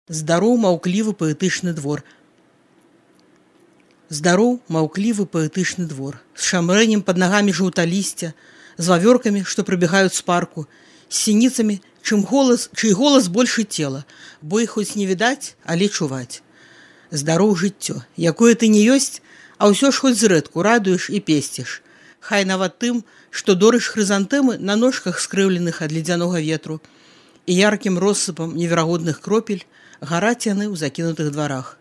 Здароў маўклівы паэтычны двор. Здароў маўклівы паэтычны двор, з шамрэнем пад нагамі жаўталісця, з вавёркамі, што прыбегаюць з парку, з сініцамі, чый голас больше цела, бо іх хоць не відаць, але чуваць. Здароў жыццё, якое ты не ёсць, а ўсё ж хоць зрэдку радуеш і песціш. Хай нават тым, што дорыш хрызантэмы на ножках скрыўленых ад ледзянога ветру, і яркім россыпам неверагодных кропель гараць яны ў закінутых дварах.